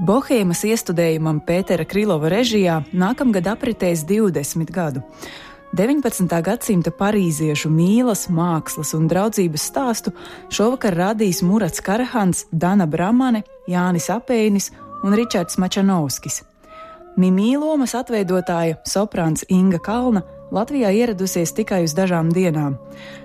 Bohēmas iestudējumam Pētera Krilova režijā nākamgad apritēs 20 gadu. 19. gadsimta parīziešu mīlas, mākslas un draudzības stāstu šovakar radīs Murats Karahans, Dana Bramane, Jānis Apeinis un Ričards Mačanovskis. Mimī lomas atveidotāja soprāns Inga Kalna Latvijā ieradusies tikai uz dažām dienām.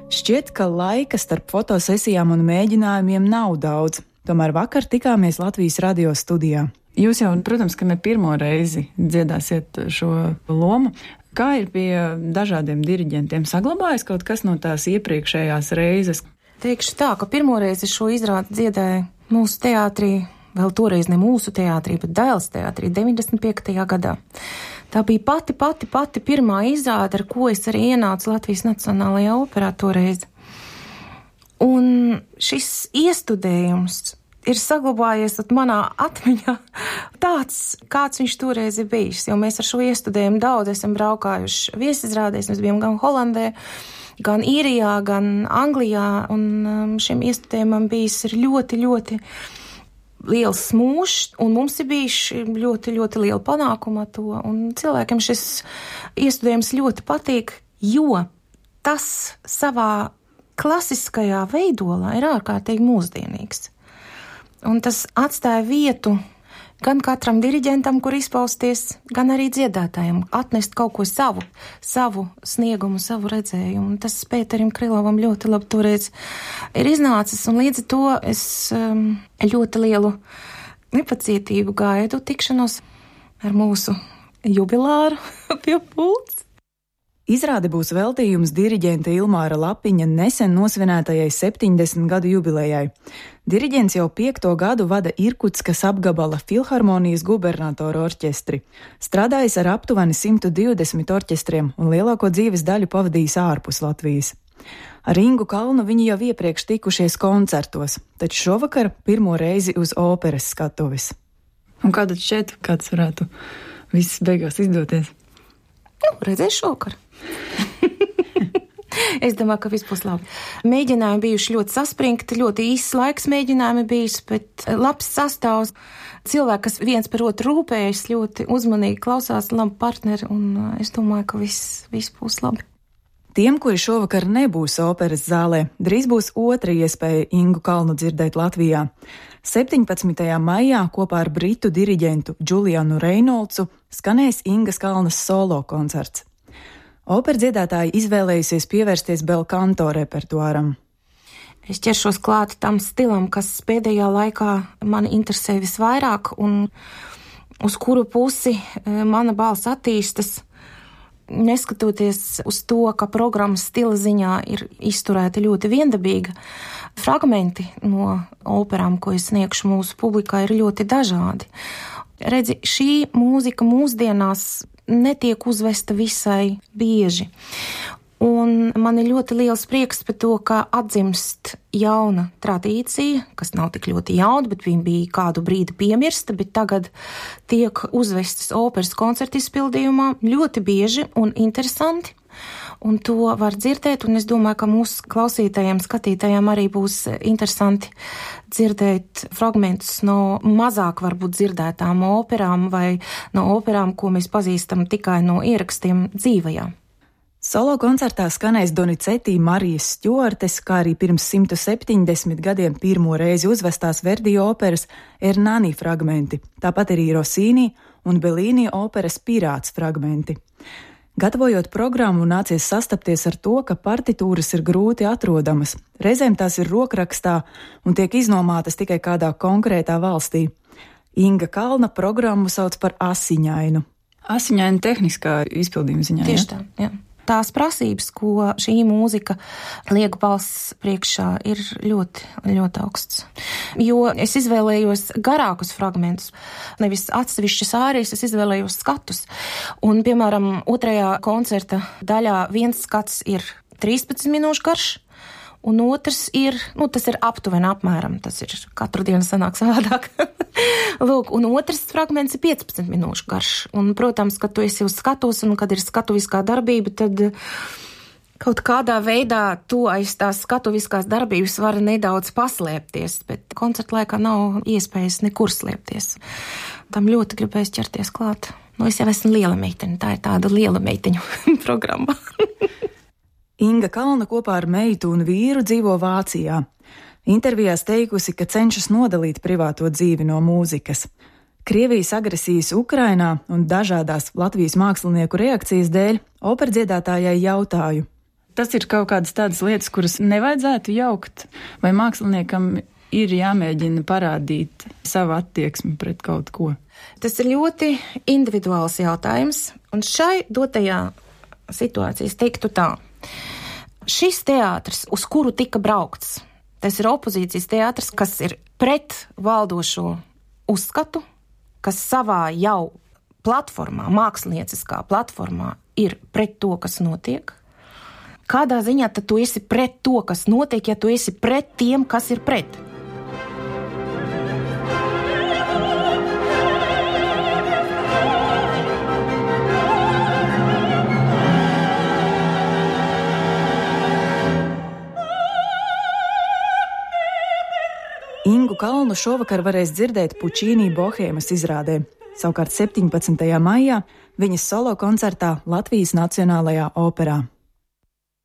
Šķiet, ka laika starp fotosesijām un mēģinājumiem nav daudz. Tomēr vakar tikāmies Latvijas radio studijā. Jūs jau, protams, ka ne pirmo reizi dziedāsiet šo lomu. Kā ir pie dažādiem diriģentiem? Saglabājas kaut kas no tās iepriekšējās reizes? Teikšu tā, ka pirmo reizi šo izrādi dziedāju mūsu teātrī, vēl toreiz ne mūsu teātrī, bet Dailes teātrī 95. gadā. Tā bija pati pirmā izrāde, ar ko es arī ienācu Latvijas Nacionālajā operā toreiz. Un šis iestudējums ir saglabājies manā atmiņā tāds, kāds viņš toreiz ir bijis, jo mēs ar šo iestudējumu daudz esam braukājuši viesizrādēs, mēs bijām gan Holandē, gan Īrijā, gan Anglijā, un šim iestudējumam bijis ir ļoti liels smūžs, un mums ir bijuši ļoti liela panākuma to, un cilvēkiem šis iestudējums ļoti patīk, jo tas savā klasiskajā veidolā ir ārkārtīgi mūsdienīgs. Un tas atstāja vietu gan katram diriģentam, kur izpausties, gan arī dziedātājiem, atnest kaut ko savu sniegumu, savu redzējumu. Un tas Pēterim Krilovam ļoti labi toreiz ir iznācis, un līdz ar to es ļoti lielu nepacietību gaidu tikšanos ar mūsu jubilāru pie pults. Izrāde būs veltījums diriģenta Ilmāra Lapiņa nesen nosvinētajai 70 gadu jubilejai. Diriģents jau 5. gadu vada Irkutskas apgabala filharmonijas gubernatora orķestri. Strādājis ar aptuveni 120 orķestriem un lielāko dzīves daļu pavadījis ārpus Latvijas. Ar Ingu Kalnu viņi jau iepriekš tikušies koncertos, taču šovakar pirmo reizi uz operas skatuves. Un kāda šķiet, kāds varētu viss beigās izdoties? Redzēs šovakar. Es domāju, ka viss būs labi. Mēģinājumi bijuši ļoti saspringti, ļoti īsts laiks mēģinājumi bijis, bet labs sastāvs. Cilvēki, kas viens par otru rūpējas, ļoti uzmanīgi klausās, labi partneri, un es domāju, ka viss būs labi. Tiem, kuri šovakar nebūs operas zālē, drīz būs otra iespēja Ingu Kalnu dzirdēt Latvijā. 17. maijā kopā ar britu diriģentu Julianu Reinolcu skanēs Ingas Kalnas solo koncerts. Operdziedātāji izvēlējusies pievērsties bel canto repertuāram. Es ķeršos klāt tam stilam, kas pēdējā laikā mani interesē visvairāk un uz kuru pusi mana balss attīstas, neskatoties uz to, ka programmas stila ziņā ir izturēta ļoti viendabīga. Fragmenti no operām, ko es sniegšu mūsu publikā, ir ļoti dažādi. Redzi, šī mūzika mūsdienās netiek uzvesta visai bieži. Un man ir ļoti liels prieks par to, ka atdzimst jauna tradīcija, kas nav tik ļoti jauna, bet viņa bija kādu brīdi piemirsta, bet tagad tiek uzvestas operas koncertu izpildījumā ļoti bieži un interesanti. Un to var dzirdēt, un es domāju, ka mūsu klausītājiem, skatītājiem arī būs interesanti dzirdēt fragmentus no mazāk varbūt dzirdētām operām vai no operām, ko mēs pazīstam tikai no ierakstiem dzīvajā. Solo koncertā skanēs Donizetti Marijas Stjuartes, kā arī pirms 170 gadiem pirmo reizi uzvestās Verdi operas Ernani fragmenti, tāpat arī Rossini un Bellini operas Pirāts fragmenti. Gatavojot programmu, nācies sastapties ar to, ka partitūras ir grūti atrodamas. Reizēm tās ir rokrakstā un tiek iznomātas tikai kādā konkrētā valstī. Inga Kalna programmu sauc par asiņainu. Asiņaina tehniskā izpildījuma ziņā, Tieši tā, jā. Tās prasības, ko šī mūzika liek balss priekšā, ir ļoti augsts. Jo es izvēlējos garākus fragmentus, nevis atsevišķas ārijas, es izvēlējos skatus. Un, piemēram, otrajā koncerta daļā viens skats ir 13 minūšu garš, un otrs ir, tas ir apmēram, tas ir katru dienu sanāk savādāk. Lūk, un otrs fragments ir 15 minūšu garš. Un, protams, kad tu esi uz skatus un kad ir skatuviskā darbība, tad Kaut kādā veidā tu aiz tās skatuviskās darbības var nedaudz paslēpties, bet koncerta laikā nav iespējas nekur slēpties. Tam ļoti gribēs ķerties klāt. Es jau esmu liela meiteņa, tā ir tāda liela meiteņu programma. Inga Kalna kopā ar meitu un vīru dzīvo Vācijā. Intervijās teikusi, ka cenšas nodalīt privāto dzīvi no mūzikas. Krievijas agresijas Ukrainā un dažādās Latvijas mākslinieku reakcijas dēļ operdziedātājai jautāju. Tas ir kaut kādas tādas lietas, kuras nevajadzētu jaukt, vai māksliniekam ir jāmēģina parādīt savu attieksmi pret kaut ko? Tas ir ļoti individuāls jautājums, un šai dotajā situācijā es teiktu tā. Šis teātris, uz kuru tika braukts, tas ir opozīcijas teātris, kas ir pret valdošo uzskatu, kas savā jau platformā, mākslinieciskā platformā ir pret to, kas notiek. Kādā ziņā tad tu esi pret to, kas notiek, ja tu esi pret tiem, kas ir pret? Ingu Kalnu šovakar varēs dzirdēt Pučīnī Bohēmas izrādē. Savukārt 17. maijā viņas solo koncertā Latvijas Nacionālajā operā.